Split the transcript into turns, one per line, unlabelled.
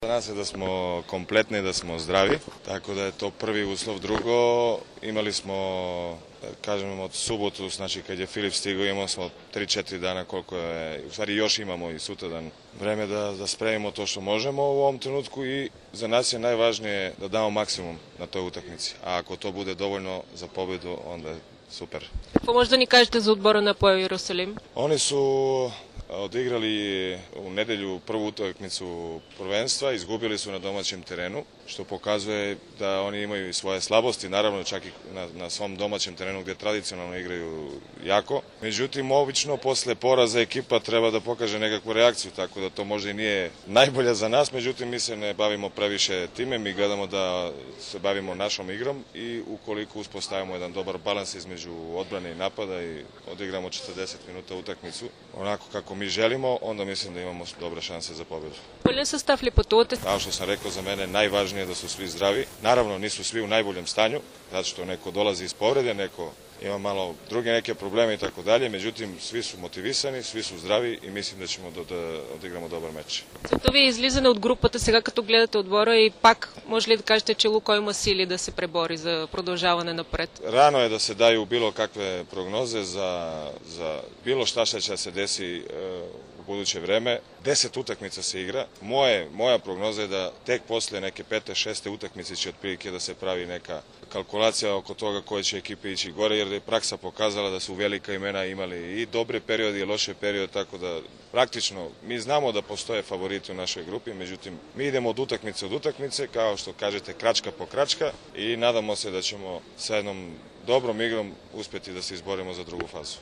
Za nas je da smo kompletni, da smo zdravi, tako da je to prvi uslov. Drugo, imali smo, kažem, od subotu, znači kad je Filip stigao, imali smo 3-4 dana koliko je, u stvari još imamo i sutradan vreme da spremimo to što možemo u ovom trenutku i za nas je najvažnije da damo maksimum na toj utakmici, a ako to bude dovoljno za pobedu, onda je super.
Какво може да ни кажете за отбора на Апоел Иерусалим?
Oni su odigrali u nedelju prvu utakmicu prvenstva, izgubili su na domaćem terenu, što pokazuje da oni imaju i svoje slabosti, naravno čak i na svom domaćem terenu gdje tradicionalno igraju jako. Međutim, obično posle poraza ekipa treba da pokaže nekakvu reakciju, tako da to možda i nije najbolja za nas, međutim mi se ne bavimo previše time, mi gledamo da se bavimo našom igrom i ukoliko uspostavimo jedan dobar balans između odbrane i napada i odigramo 40 minuta utakmicu, onako kako mi želimo, onda mislim da imamo dobre šanse za pobedu.
Пълен състав ли пътувате?
Kao što sam rekao, za mene najvažnije je da su svi zdravi. Naravno, nisu svi u najboljem stanju, zato što neko dolazi iz povrede, neko ima malo druge neke probleme i tako dalje, međutim, svi su motivisani, svi su zdravi i mislim da ćemo da odigramo dobar meč.
Целта ви е излизане от групата сега, като гледате отбора и пак може ли да кажете, че Лукой има сили да се пребори за продължаване напред?
Rano je da se daju bilo kakve prognoze za bilo šta će se desi u buduće vreme. 10 utakmica se igra. Moja prognoza je da tek posle neke 5. 6. utakmice će otprilike da se pravi neka kalkulacija oko toga koje će ekipe ići gore, jer je praksa pokazala da su velika imena imali i dobre periode i loše periode, tako da praktično mi znamo da postoje favoriti u našoj grupi, međutim mi idemo od utakmice, kao što kažete, kračka po kračka i nadamo se da ćemo sa jednom dobrom igrom uspjeti da se izborimo za drugu fazu.